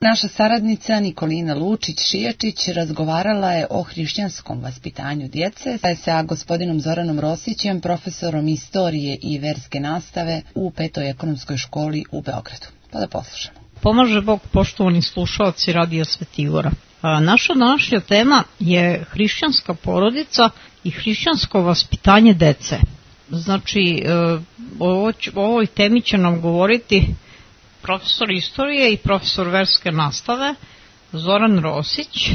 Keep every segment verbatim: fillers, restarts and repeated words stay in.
Naša saradnica Nikolina Lučić-Šijačić razgovarala je o hrišćanskom vaspitanju djece sa gospodinom Zoranom Rosićem, profesorom istorije i verske nastave u Petoj ekonomskoj školi u Beogradu. Pa da poslušamo. Pomaže Bog, poštovani slušalci Radija Svetigora. Naša današnja tema je hrišćanska porodica i hrišćansko vaspitanje dece. Znači, o ovoj temi će nam govoriti profesor istorije i profesor verske nastave Zoran Rosić,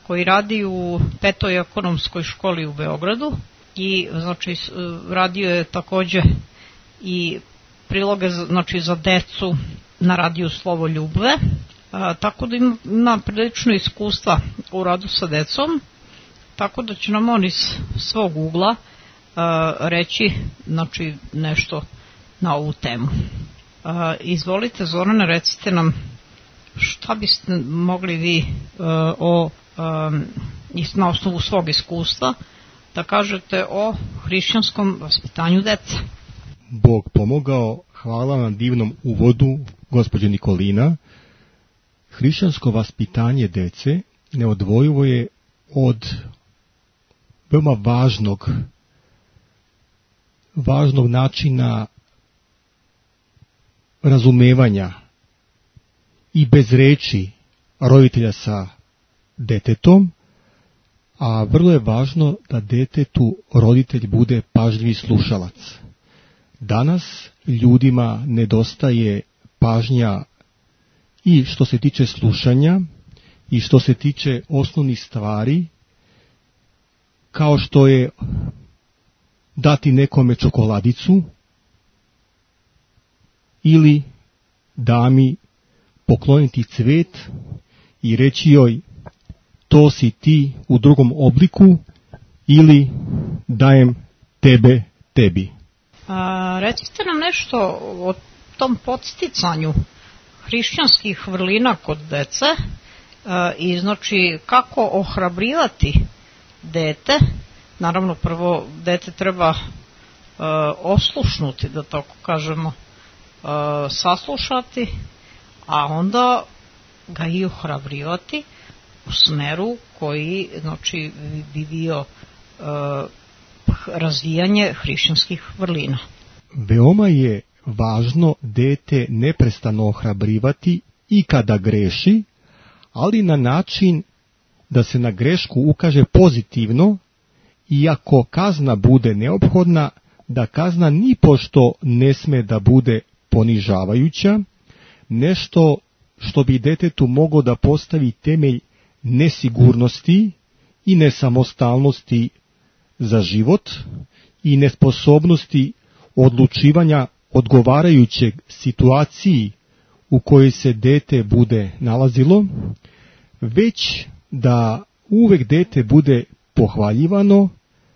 koji radi u Petoj ekonomskoj školi u Beogradu i znači radio je takođe i priloge znači za decu na radiju Slovo Ljubve, a, tako da ima, ima prilično iskustva u radu sa decom, tako da će nam on iz svog ugla a, reći znači nešto na ovu temu. A, izvolite Zorane, recite nam šta biste mogli vi a, o, a, na osnovu svog iskustva da kažete o hrišćanskom vaspitanju dece. Bog pomogao, hvala na divnom uvodu, gospođo Nikolina. Hrišćansko vaspitanje dece neodvojivo je od veoma važnog, važnog načina razumevanja i bez reči roditelja sa detetom, a vrlo je važno da detetu roditelj bude pažljivi slušalac. Danas ljudima nedostaje pažnja i što se tiče slušanja i što se tiče osnovnih stvari, kao što je dati nekome čokoladicu ili dami pokloniti cvet i reći joj to si ti u drugom obliku ili dajem tebe tebi. A, recite nam nešto o tom podsticanju hrišćanskih vrlina kod dece a, i znači kako ohrabrivati dete. Naravno prvo dete treba a, oslušnuti, da tako kažemo, a, saslušati, a onda ga i ohrabrivati u smeru koji znači bi bio a, razvijanje hrišćanskih vrlina. Veoma je važno dete neprestano ohrabrivati i kada greši, ali na način da se na grešku ukaže pozitivno, iako kazna bude neophodna, da kazna nipošto ne sme da bude ponižavajuća, nešto što bi detetu moglo da postavi temelj nesigurnosti i nesamostalnosti za život i nesposobnosti odlučivanja odgovarajućeg situaciji u kojoj se dete bude nalazilo, već da uvek dete bude pohvaljivano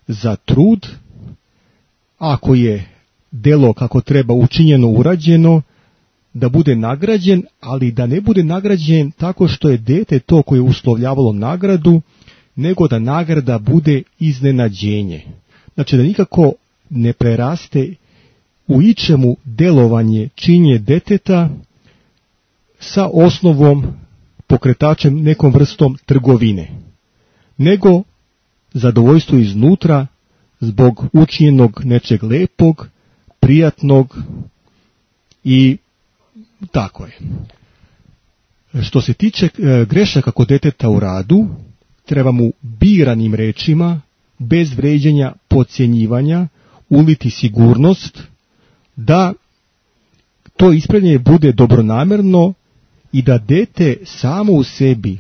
za trud, ako je delo kako treba učinjeno, urađeno, da bude nagrađen, ali da ne bude nagrađen tako što je dete to koje je uslovljavalo nagradu, nego da nagrada bude iznenađenje. Znači da nikako ne preraste u ičemu delovanje, činje deteta sa osnovom, pokretačem, nekom vrstom trgovine, nego zadovoljstvo iznutra zbog učinjenog nečeg lepog, prijatnog i tako je. Što se tiče grešaka kod deteta u radu, treba mu biranim rečima, bez vređanja, podcjenjivanja, uliti sigurnost, da to ispravljanje bude dobronamerno i da dete samo u sebi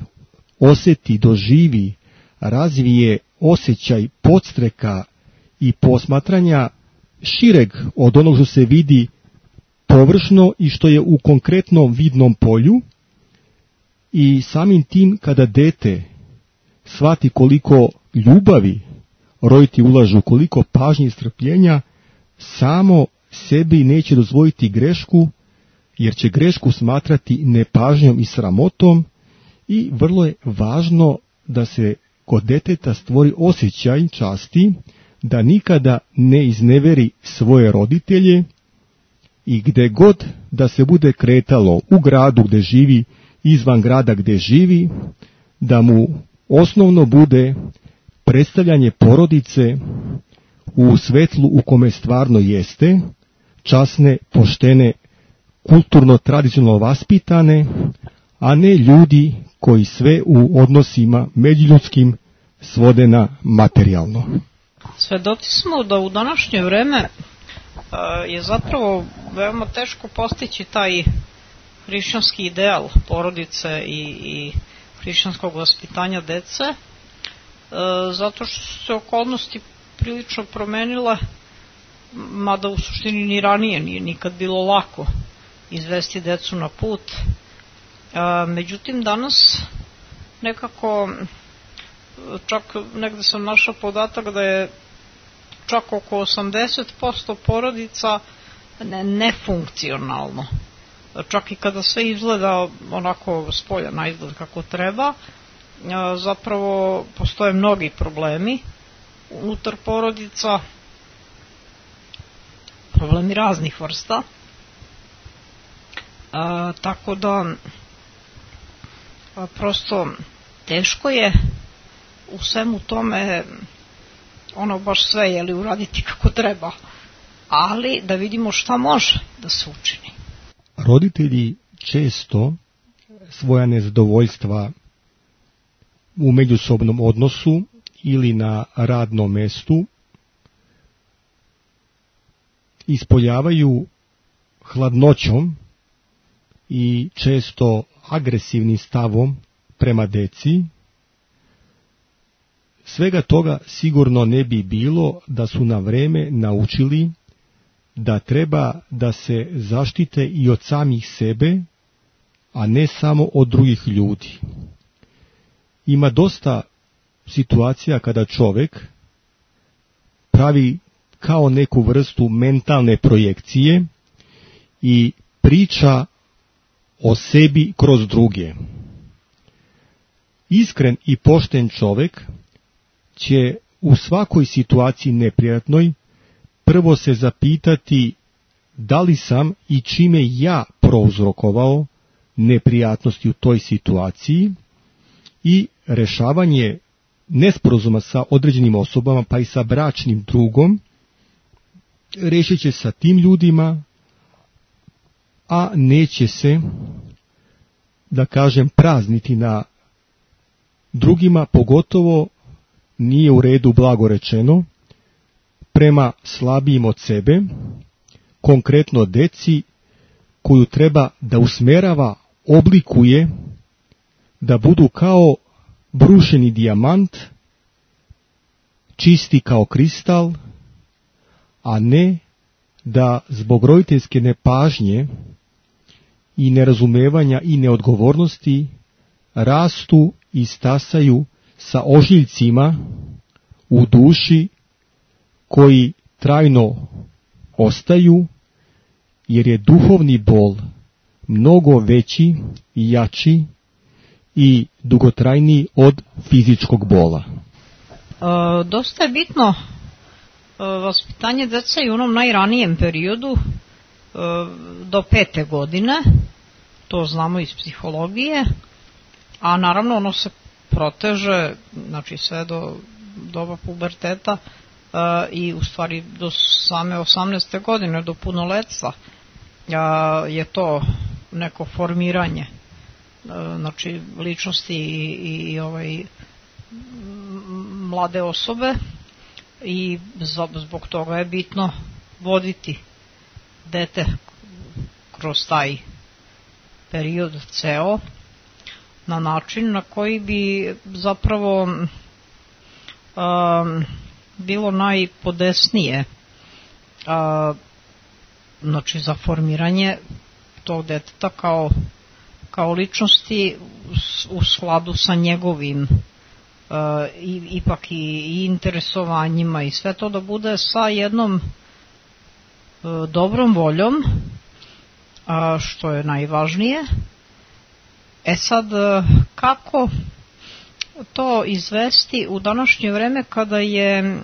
osjeti, doživi, razvije osjećaj podstreka i posmatranja šireg od onog što se vidi površno i što je u konkretnom vidnom polju, i samim tim kada dete shvati koliko ljubavi roditelji ulažu, koliko pažnje i strpljenja, samo sebi neće dozvoliti grešku, jer će grešku smatrati nepažnjom i sramotom, i vrlo je važno da se kod deteta stvori osjećaj časti, da nikada ne izneveri svoje roditelje i gde god da se bude kretalo u gradu gde živi izvan grada gdje živi, da mu osnovno bude predstavljanje porodice u svetlu u kome stvarno jeste, časne, poštene, kulturno, tradicionalno vaspitane, a ne ljudi koji sve u odnosima međuljudskim svode na materijalno. Svedoci smo da u današnje vreme je zapravo veoma teško postići taj hrišćanski ideal porodice i, i hrišćanskog vaspitanja dece, zato što su se okolnosti prilično promenile, mada u suštini ni ranije nije nikad bilo lako izvesti decu na put. Međutim, danas nekako, čak negde sam našao podatak da je čak oko osamdeset posto porodica nefunkcionalno. Čak i kada sve izgleda onako s polja na izgled kako treba, zapravo postoje mnogi problemi unutar porodica, problemi raznih vrsta. A, tako da a, prosto teško je u svemu tome ono baš sve jeli uraditi kako treba, ali da vidimo šta može da se učini. Roditelji često svoja nezadovoljstva u međusobnom odnosu ili na radnom mestu ispoljavaju hladnoćom i često agresivnim stavom prema deci. Svega toga sigurno ne bi bilo da su na vreme naučili da treba da se zaštite i od samih sebe, a ne samo od drugih ljudi. Ima dosta situacija kada čovjek pravi kao neku vrstu mentalne projekcije i priča o sebi kroz druge. Iskren i pošten čovjek će u svakoj situaciji neprijatnoj prvo se zapitati da li sam i čime ja prouzrokovao neprijatnosti u toj situaciji i rešavanje nesporazuma sa određenim osobama, pa i sa bračnim drugom, rešit će sa tim ljudima, a neće se, da kažem, prazniti na drugima, pogotovo nije u redu, blago rečeno, prema slabijim od sebe, konkretno deci koju treba da usmerava, oblikuje, da budu kao brušeni dijamant, čisti kao kristal, a ne da zbog roditeljske nepažnje i nerazumevanja i neodgovornosti rastu i stasaju sa ožiljcima u duši koji trajno ostaju, jer je duhovni bol mnogo veći i jači i dugotrajniji od fizičkog bola. E, dosta je bitno e, vaspitanje dece i u onom najranijem periodu e, do pete godine, to znamo iz psihologije, a naravno ono se proteže, znači sve do doba puberteta e, i u stvari do same osamnaeste godine, do punoletstva e, je to neko formiranje, e, znači ličnosti i, i, i ovaj mlade osobe, i zbog toga je bitno voditi dete kroz taj period ceo na način na koji bi zapravo um, bilo najpodesnije, uh, znači za formiranje tog deteta kao, kao ličnosti u skladu sa njegovim uh, i, ipak i, i interesovanjima i sve to da bude sa jednom uh, dobrom voljom, uh, što je najvažnije. E sad, kako to izvesti u današnje vreme kada je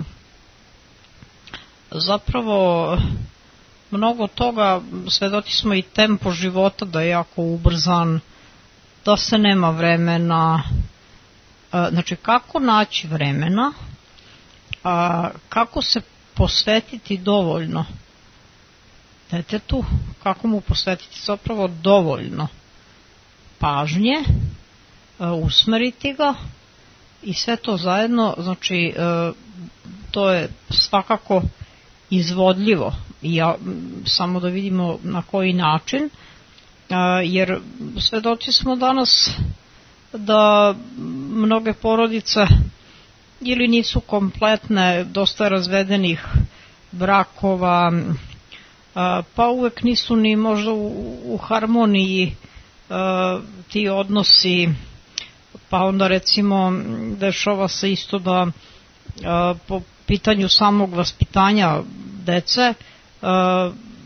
zapravo mnogo toga, svedoci smo i tempo života da je jako ubrzan, da se nema vremena, znači kako naći vremena, kako se posvetiti dovoljno detetu, kako mu posvetiti zapravo dovoljno pažnje, usmeriti ga i sve to zajedno, znači to je svakako izvodljivo. I ja, samo da vidimo na koji način, jer svedoci smo danas da mnoge porodice ili nisu kompletne, dosta razvedenih brakova, pa uvek nisu ni možda u, u harmoniji ti odnosi, pa onda recimo dešava se isto da po pitanju samog vaspitanja dece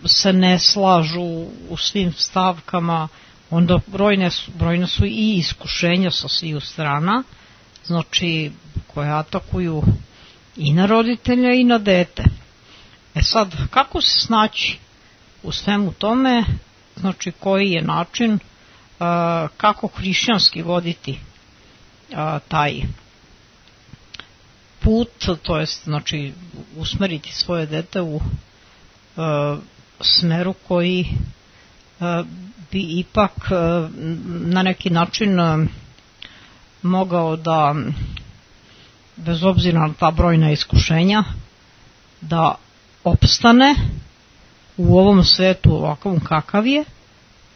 se ne slažu u svim stavkama, onda brojne su, brojne su i iskušenja sa sviju strana, znači koje atakuju i na roditelja i na dete. E sad, kako se snaći u svemu tome, znači koji je način, uh, kako hrišćanski voditi uh, taj put, to jest znači usmeriti svoje dete u uh, smeru koji uh, bi ipak uh, na neki način uh, mogao da, bez obzira na ta brojna iskušenja, da opstane u ovom svetu ovakvom kakav je,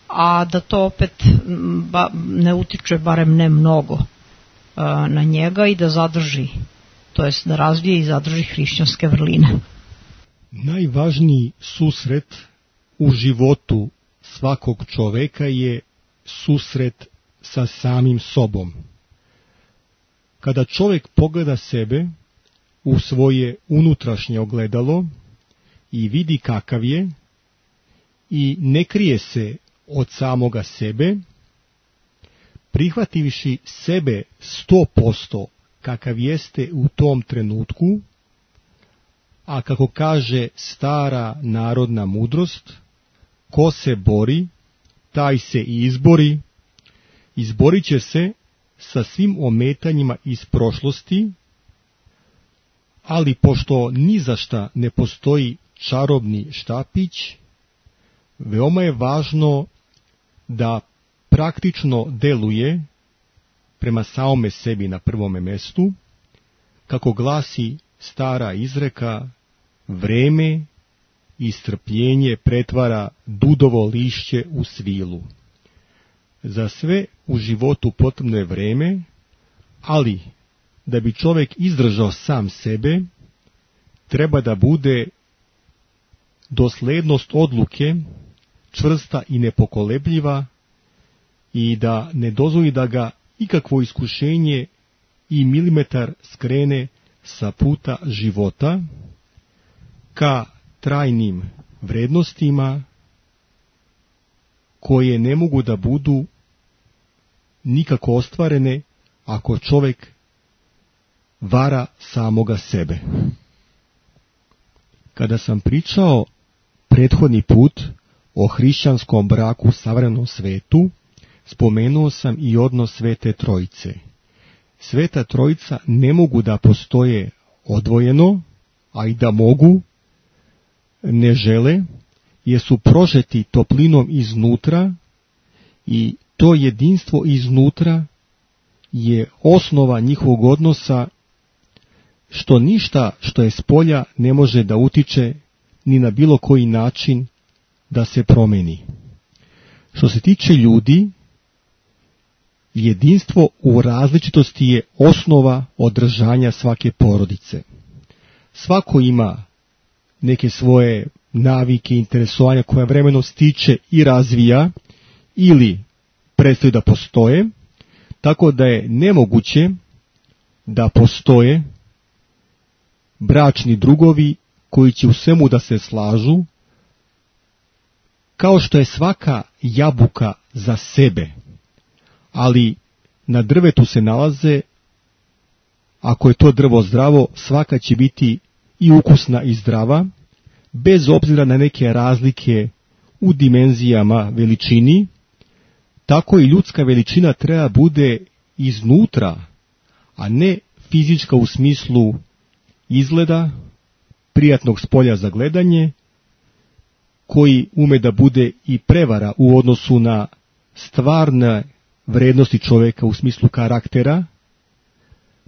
a da to opet ba, ne utiče, barem ne mnogo, na njega i da zadrži, to jest da razvije i zadrži hrišćanske vrline. Najvažniji susret u životu svakog čoveka je susret sa samim sobom. Kada čovjek pogleda sebe u svoje unutrašnje ogledalo i vidi kakav je i ne krije se od samoga sebe, prihvativši sebe sto posto kakav jeste u tom trenutku, a kako kaže stara narodna mudrost, ko se bori, taj se i izbori, izborit će se sa svim ometanjima iz prošlosti, ali pošto ni za šta ne postoji čarobni štapić, veoma je važno da praktično deluje prema samome sebi na prvome mestu, kako glasi stara izreka, vreme i strpljenje pretvara dudovo lišće u svilu. Za sve u životu potrebno je vreme, ali da bi čovjek izdržao sam sebe, treba da bude doslednost odluke čvrsta i nepokolebljiva i da ne dozvoli da ga ikakvo iskušenje i milimetar skrene sa puta života ka trajnim vrednostima koje ne mogu da budu nikako ostvarene ako čovjek vara samoga sebe. Kada sam pričao prethodni put o hrišćanskom braku u savremenom svetu, spomenuo sam i odnos Svete Trojice. Sveta Trojica ne mogu da postoje odvojeno, a i da mogu, ne žele, jer su prožeti toplinom iznutra i to jedinstvo iznutra je osnova njihovog odnosa, što ništa što je spolja ne može da utiče ni na bilo koji način da se promeni. Što se tiče ljudi, jedinstvo u različitosti je osnova održanja svake porodice. Svako ima neke svoje navike, interesovanja koja vremenom stiče i razvija ili prestaju da postoje, tako da je nemoguće da postoje bračni drugovi koji će u svemu da se slažu, kao što je svaka jabuka za sebe, ali na drvetu se nalaze, ako je to drvo zdravo, svaka će biti i ukusna i zdrava, bez obzira na neke razlike u dimenzijama, veličini, tako i ljudska veličina treba bude iznutra, a ne fizička u smislu izgleda, prijatnog spolja za gledanje, koji ume da bude i prevara u odnosu na stvarne vrednosti čoveka u smislu karaktera.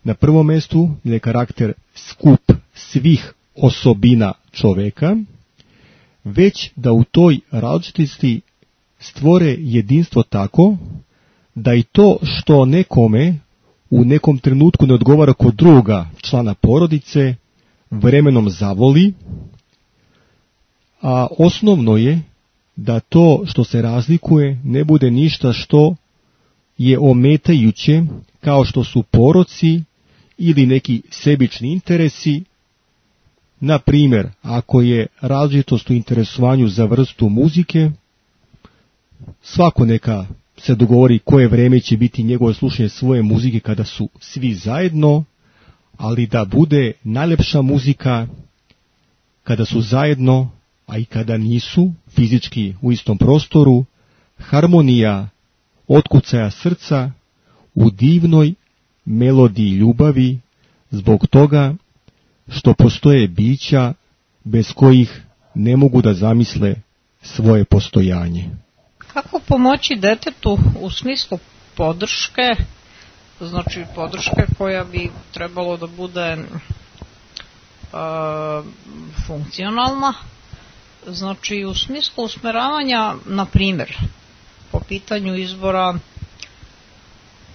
Na prvom mjestu je karakter skup svih osobina čoveka, već da u toj različitosti stvore jedinstvo tako da i to što nekome u nekom trenutku ne odgovara kod druga člana porodice, vremenom zavoli, a osnovno je da to što se razlikuje ne bude ništa što je ometajuće, kao što su poroci ili neki sebični interesi. Na primjer, ako je različitost u interesovanju za vrstu muzike, svako neka se dogovori koje vreme će biti njegovo slušanje svoje muzike kada su svi zajedno, ali da bude najlepša muzika kada su zajedno, a i kada nisu fizički u istom prostoru, harmonija otkucaja srca u divnoj melodiji ljubavi, zbog toga što postoje bića bez kojih ne mogu da zamisle svoje postojanje. Kako pomoći detetu u smislu podrške, znači podrške koja bi trebalo da bude e, funkcionalna, znači u smislu usmeravanja, na primjer, po pitanju izbora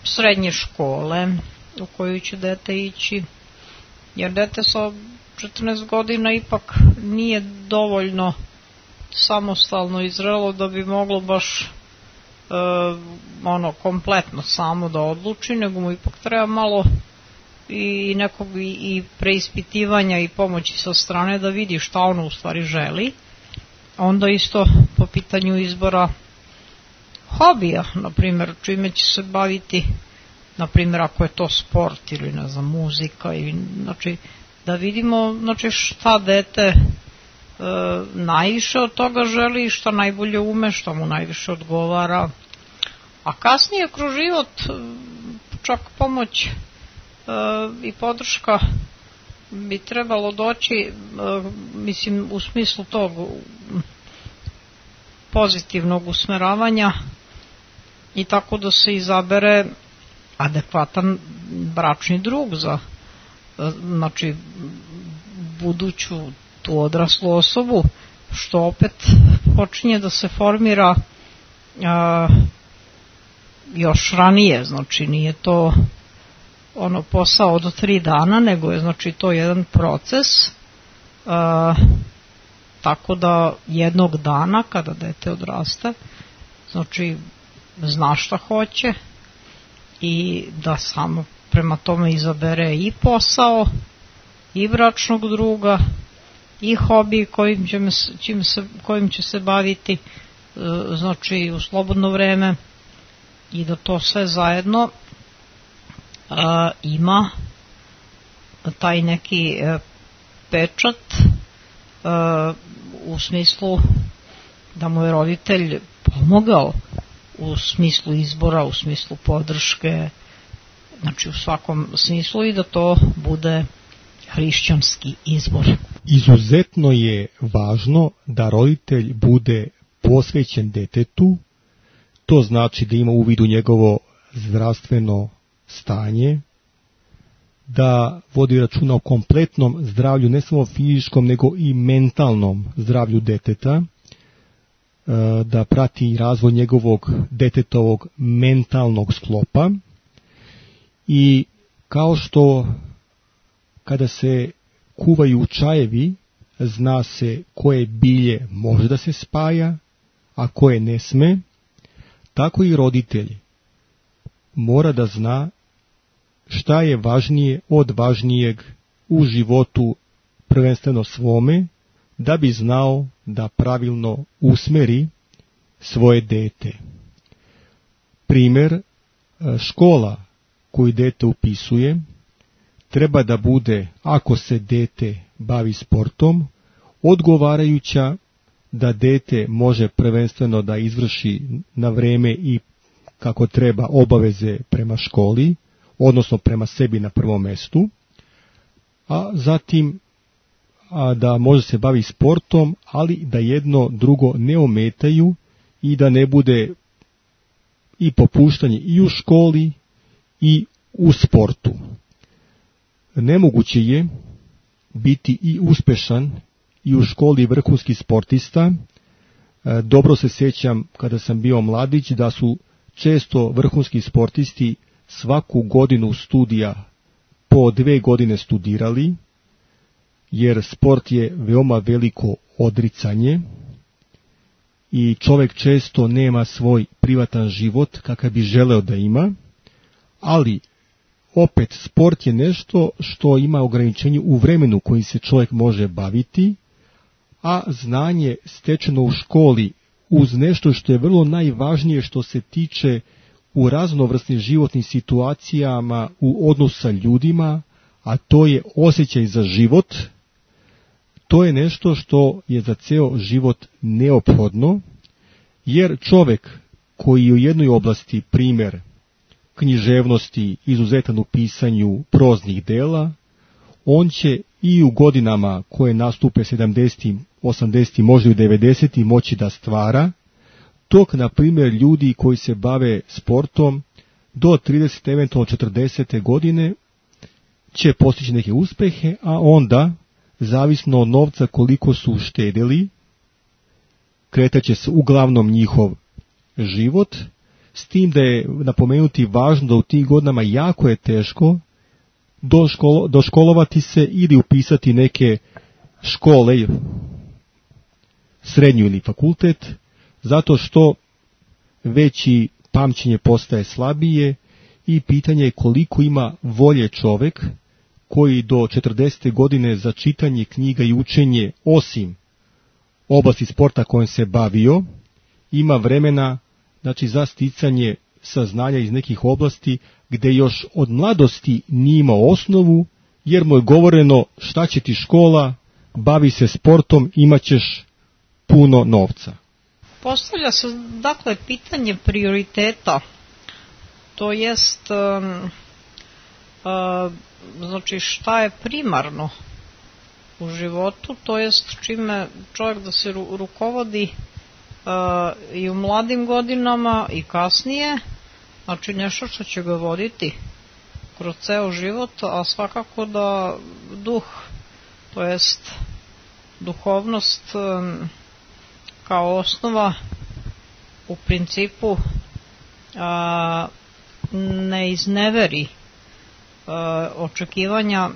srednje škole u koju će dete ići, jer dete sa četrnaest godina ipak nije dovoljno samostalno i zrelo da bi moglo baš e, ono kompletno samo da odluči, nego mu ipak treba malo i nekog i, i preispitivanja i pomoći sa strane da vidi šta ono u stvari želi. Onda isto po pitanju izbora hobija, na primjer, čime će se baviti, na primjer ako je to sport ili ne znam muzika, ili, znači da vidimo znači šta dete e, najviše od toga želi i šta najbolje ume, šta mu najviše odgovara. A kasnije kroz život čak pomoć e, i podrška bi trebalo doći, e, mislim u smislu tog pozitivnog usmeravanja i tako da se izabere adekvatan bračni drug za znači buduću tu odraslu osobu, što opet počinje da se formira a, još ranije, znači nije to ono posao do tri dana, nego je znači to jedan proces, a, tako da jednog dana kada dete odraste, znači zna šta hoće i da samo prema tome izabere i posao, i bračnog druga, i hobi kojim će, čim se, kojim će se baviti, znači u slobodno vreme, i da to sve zajedno a, ima taj neki a, pečat a, u smislu da mu je roditelj pomogao u smislu izbora, u smislu podrške, znači u svakom smislu, i da to bude hrišćanski izbor. Izuzetno je važno da roditelj bude posvećen detetu, to znači da ima u vidu njegovo zdravstveno stanje, da vodi računa o kompletnom zdravlju, ne samo fizičkom, nego i mentalnom zdravlju deteta, da prati razvoj njegovog detetovog mentalnog sklopa. I kao što kada se kuvaju čajevi, zna se koje bilje može da se spaja, a koje ne sme, tako i roditelj mora da zna šta je važnije od važnijeg u životu, prvenstveno svome, da bi znao da pravilno usmeri svoje dete. Primjer, škola koju dete upisuje treba da bude, ako se dete bavi sportom, odgovarajuća da dete može prvenstveno da izvrši na vreme i kako treba obaveze prema školi, odnosno prema sebi na prvom mjestu, a zatim a da može se bavi sportom, ali da jedno drugo ne ometaju i da ne bude i popuštanje i u školi i u sportu. Nemoguće je biti i uspešan i u školi vrhunski sportista. Dobro se sjećam kada sam bio mladić da su često vrhunski sportisti svaku godinu studija po dve godine studirali, jer sport je veoma veliko odricanje i čovjek često nema svoj privatan život kakav bi želeo da ima, ali opet sport je nešto što ima ograničenje u vremenu kojim se čovjek može baviti, a znanje stečeno u školi uz nešto što je vrlo najvažnije što se tiče u raznovrsnim životnim situacijama u odnosu sa ljudima, a to je osjećaj za život, to je nešto što je za ceo život neophodno, jer čovjek koji je u jednoj oblasti primjer književnosti, izuzetan u pisanju proznih dela, on će i u godinama koje nastupe sedamdesetim, osamdesetim, možda i devedesetim moći da stvara, dok, na primjer, ljudi koji se bave sportom do tridesete, eventualno četrdesete godine će postići neke uspehe, a onda, zavisno od novca koliko su uštedili, kretaće se uglavnom njihov život, s tim da je napomenuti važno da u tim godinama jako je teško doškolo, doškolovati se ili upisati neke škole, srednju ili fakultet, zato što veći pamćenje postaje slabije i pitanje je koliko ima volje čovjek koji do četrdesete godine za čitanje knjiga i učenje, osim oblasti sporta kojom se bavio, ima vremena, znači, za sticanje saznanja iz nekih oblasti gdje još od mladosti nije imao osnovu, jer mu je govoreno šta će ti škola, bavi se sportom, imat ćeš puno novca. Postavlja se dakle pitanje prioriteta, to jest um, uh, znači šta je primarno u životu, to jest čime čovjek da se ru- rukovodi uh, i u mladim godinama i kasnije, znači nešto što će ga voditi kroz ceo život, a svakako da duh, to jest duhovnost um, kao osnova u principu a, ne izneveri a, očekivanja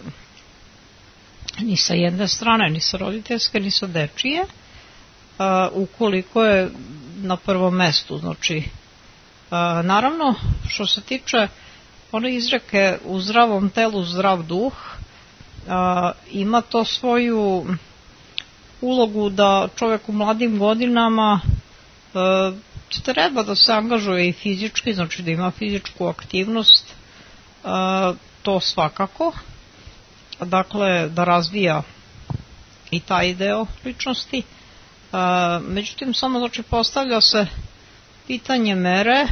ni sa jedne strane, ni sa roditeljske, ni sa dečije, a, ukoliko je na prvom mestu. Znači, a, naravno, što se tiče one izreke u zdravom telu zdrav duh, a, ima to svoju ulogu da čovjek u mladim godinama e, treba da se angažuje i fizički, znači da ima fizičku aktivnost, e, to svakako, dakle da razvija i taj deo ličnosti. E, međutim, samo znači postavlja se pitanje mere, e,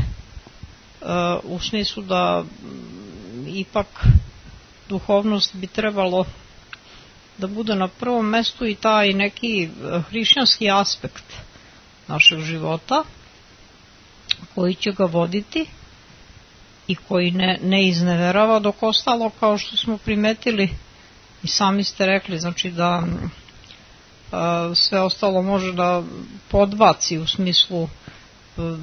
u smislu da m, ipak duhovnost bi trebalo da bude na prvom mestu i taj neki hrišćanski aspekt našeg života koji će ga voditi i koji ne, ne izneverava, dok ostalo, kao što smo primetili i sami ste rekli, znači da a, sve ostalo može da podbaci u smislu a,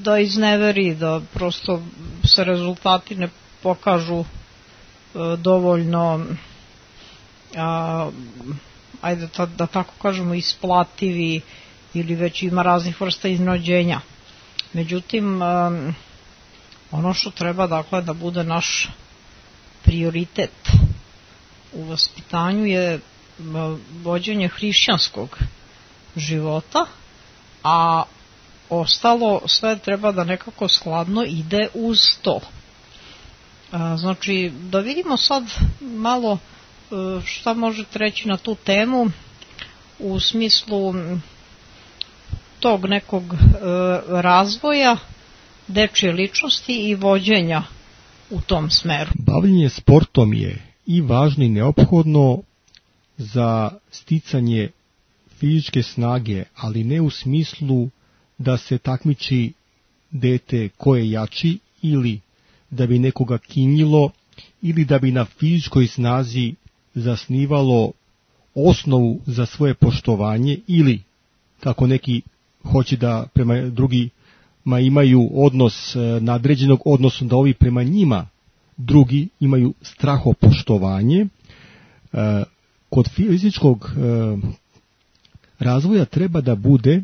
da izneveri, da prosto se rezultati ne pokažu a, dovoljno A, ajde ta, da tako kažemo isplativi ili već ima raznih vrsta iznenađenja. Međutim, um, ono što treba dakle da bude naš prioritet u vaspitanju je vođenje hrišćanskog života, a ostalo sve treba da nekako skladno ide uz to. A, znači, da vidimo sad malo šta možete reći na tu temu u smislu tog nekog e, razvoja dečje ličnosti i vođenja u tom smeru. Bavljenje sportom je i važno i neophodno za sticanje fizičke snage, ali ne u smislu da se takmiči dete ko je jači ili da bi nekoga kinjilo ili da bi na fizičkoj snazi zasnivalo osnovu za svoje poštovanje ili, kako neki hoće da prema drugima imaju odnos nadređenog, odnosno da ovi prema njima drugi imaju strahopoštovanje. Kod fizičkog razvoja treba da bude,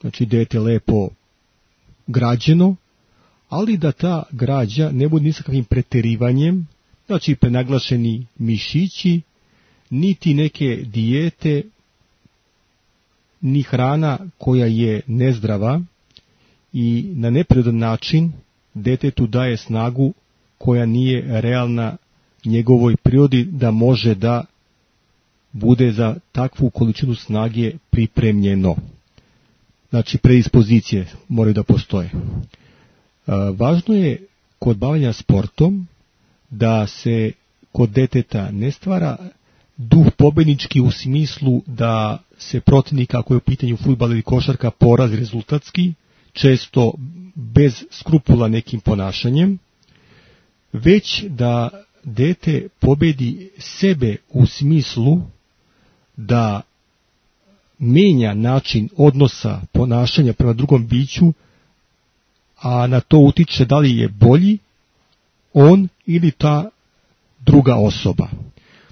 znači dete lepo građeno, ali da ta građa ne bude ni sa kakvim preterivanjem, znači prenaglašeni mišići, niti neke dijete, ni hrana koja je nezdrava i na neprirodan način detetu daje snagu koja nije realna njegovoj prirodi da može da bude za takvu količinu snage pripremljeno. Znači predispozicije moraju da postoje. Važno je kod bavljenja sportom da se kod deteta ne stvara duh pobednički u smislu da se protivnik, ako je u pitanju fudbal ili košarka, porazi rezultatski, često bez skrupula nekim ponašanjem, već da dete pobedi sebe u smislu da menja način odnosa ponašanja prema drugom biću, a na to utiče da li je bolji on ili ta druga osoba.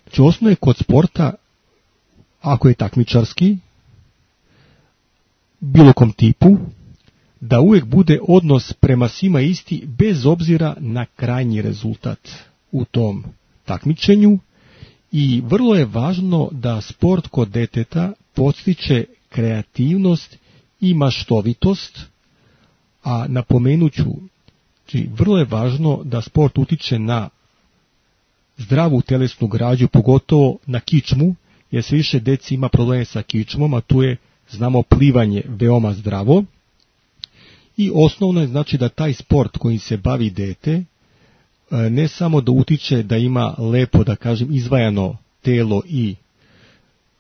Znači, osnovno je kod sporta, ako je takmičarski, bilo kom tipu, da uvijek bude odnos prema svima isti, bez obzira na krajnji rezultat u tom takmičenju. I vrlo je važno da sport kod deteta podstiče kreativnost i maštovitost, a napomenuću, znači, vrlo je važno da sport utiče na zdravu telesnu građu, pogotovo na kičmu, jer sve više deci ima probleme sa kičmom, a tu je, znamo, plivanje veoma zdravo. I osnovno je, znači, da taj sport kojim se bavi dete ne samo da utiče da ima lepo, da kažem, izvajano telo i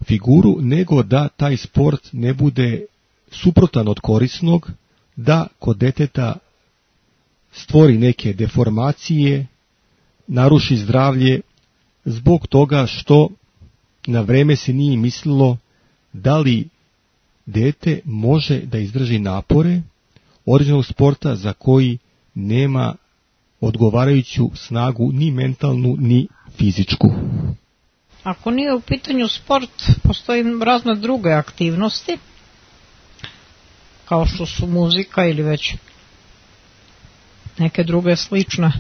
figuru, nego da taj sport ne bude suprotan od korisnog, da kod deteta stvori neke deformacije, naruši zdravlje zbog toga što na vreme se nije mislilo da li dete može da izdrži napore određenog sporta za koji nema odgovarajuću snagu ni mentalnu ni fizičku. Ako nije u pitanju sport, postoji razne druge aktivnosti, kao što su muzika ili već neke druge slične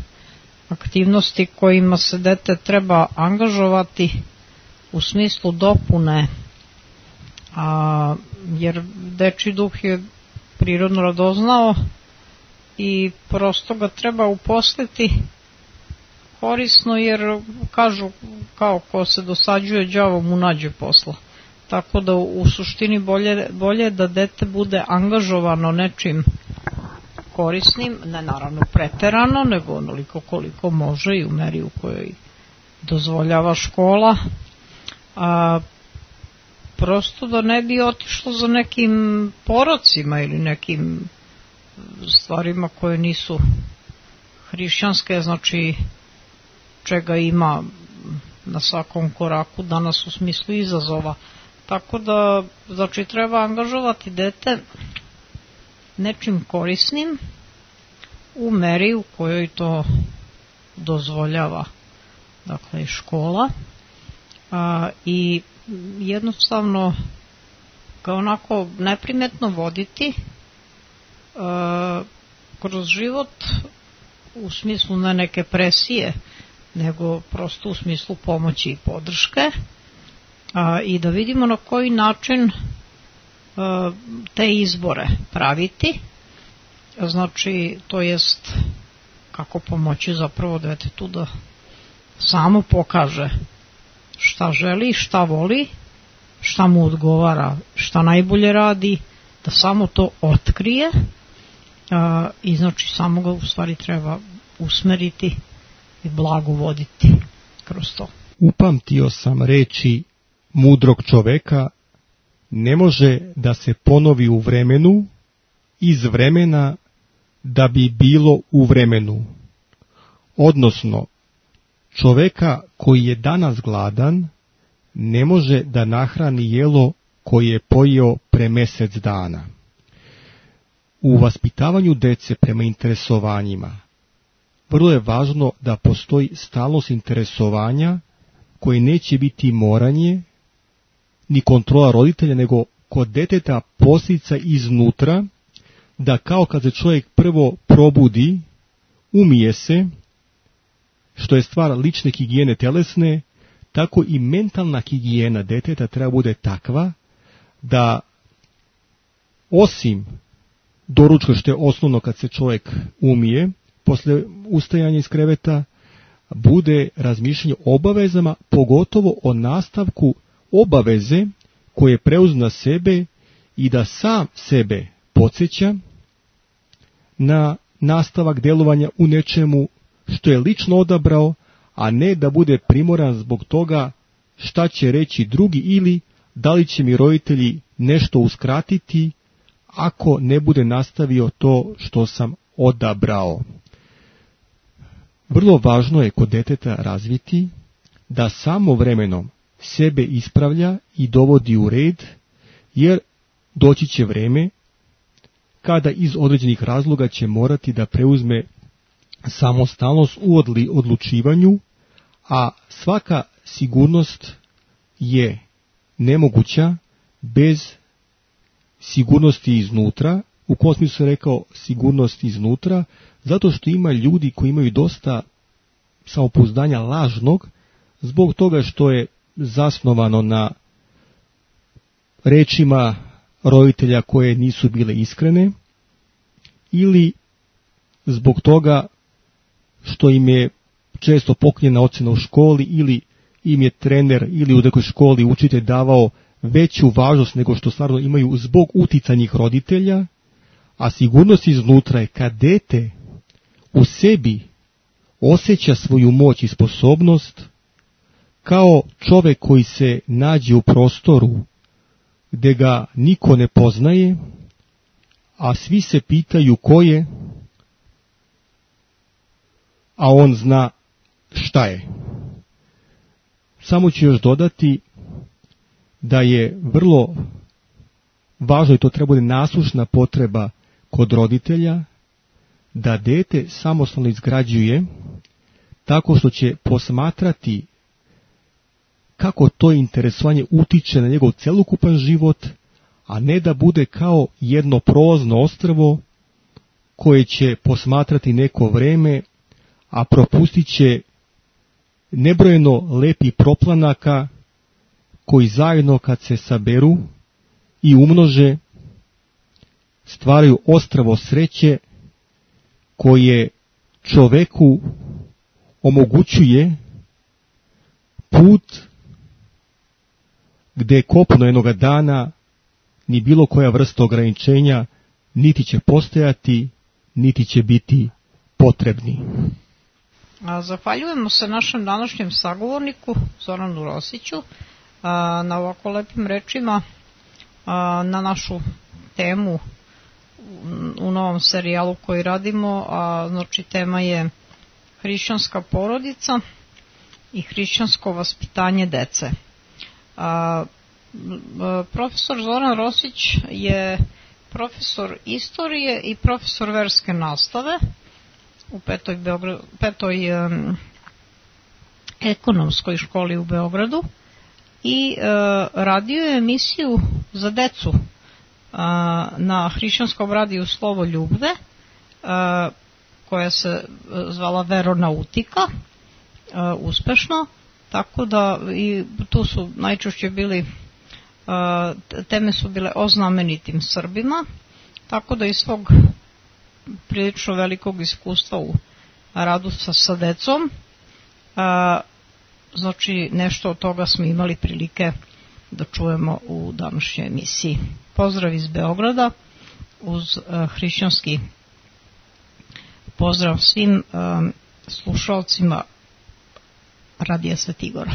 aktivnosti kojima se dete treba angažovati u smislu dopune, a, jer dečji duh je prirodno radoznao i prosto ga treba uposliti korisno, jer kažu kao ko se dosađuje đavo mu nađe posla. Tako da u suštini bolje, bolje da dete bude angažovano nečim korisnim, ne naravno preterano, nego onoliko koliko može i u meri u kojoj dozvoljava škola, a prosto da ne bi otišlo za nekim porocima ili nekim stvarima koje nisu hrišćanske, znači čega ima na svakom koraku danas u smislu izazova. Tako da, znači, treba angažovati dete nečim korisnim u meri u kojoj to dozvoljava, dakle, škola, a, i jednostavno ga onako neprimetno voditi a, kroz život u smislu ne neke presije, nego prosto u smislu pomoći i podrške, a, i da vidimo na koji način a, te izbore praviti, znači to jest kako pomoći zapravo detetu da samo pokaže šta želi, šta voli, šta mu odgovara, šta najbolje radi, da samo to otkrije, a, i znači samo ga u stvari treba usmeriti i blago voditi kroz to. Upamtio sam reči mudrog čoveka, ne može da se ponovi u vremenu, iz vremena da bi bilo u vremenu. Odnosno, čoveka koji je danas gladan ne može da nahrani jelo koje je pojeo pre mesec dana. U vaspitavanju dece prema interesovanjima vrlo je važno da postoji stalnost interesovanja koje neće biti moranje ni kontrola roditelja, nego kod deteta posljedica iznutra, da kao kad se čovjek prvo probudi, umije se, što je stvar lične higijene telesne, tako i mentalna higijena deteta treba bude takva da osim doručka, što je osnovno kad se čovjek umije, posle ustajanja iz kreveta, bude razmišljanje o obavezama, pogotovo o nastavku obaveze koje preuzme na sebe i da sam sebe podsjeća na nastavak djelovanja u nečemu što je lično odabrao, a ne da bude primoran zbog toga šta će reći drugi ili da li će mi roditelji nešto uskratiti ako ne bude nastavio to što sam odabrao. Vrlo važno je kod deteta razviti da samo vremenom sebe ispravlja i dovodi u red, jer doći će vreme kada iz određenih razloga će morati da preuzme samostalnost u odlučivanju, a svaka sigurnost je nemoguća bez sigurnosti iznutra. U kom smislu sam rekao sigurnost iznutra? Zato što ima ljudi koji imaju dosta samopouzdanja lažnog, zbog toga što je zasnovano na rečima roditelja koje nisu bile iskrene, ili zbog toga što im je često poklonjena ocena u školi, ili im je trener ili u nekoj školi učitelj davao veću važnost nego što stvarno imaju zbog uticanjih roditelja, a sigurnost iznutra je kad dete u sebi osjeća svoju moć i sposobnost, kao čovjek koji se nađe u prostoru gdje ga niko ne poznaje, a svi se pitaju ko je, a on zna šta je. Samo ću još dodati da je vrlo važno, i to treba biti naslušna potreba kod roditelja, da dete samostalno izgrađuje tako što će posmatrati kako to interesovanje utiče na njegov celokupan život, a ne da bude kao jedno prolazno ostrvo koje će posmatrati neko vreme, a propustit će nebrojeno lepih proplanaka koji zajedno kad se saberu i umnože stvaraju ostrvo sreće koje čoveku omogućuje put gdje kopno jednoga dana ni bilo koja vrsta ograničenja niti će postojati, niti će biti potrebni. Zahvaljujemo se našem današnjem sagovorniku Zoranu Rosiću na ovako lepim rečima na našu temu u novom serijalu koji radimo, a znači tema je hrišćanska porodica i hrišćansko vaspitanje dece. A, profesor Zoran Rosić je profesor istorije i profesor verske nastave u petoj, Beograd, petoj um, ekonomskoj školi u Beogradu i uh, radio je emisiju za decu uh, na hrišćanskom radiju Slovo Ljubve, uh, koja se zvala Veronautika, uh, uspešno, tako da i tu su najčešće bili, uh, teme su bile o znamenitim Srbima, tako da iz svog prilično velikog iskustva u radu sa, sa decom, uh, znači nešto od toga smo imali prilike da čujemo u današnjoj emisiji. Pozdrav iz Beograda uz uh, hrišćanski Pozdrav svim um, slušalcima Radija Svetigora.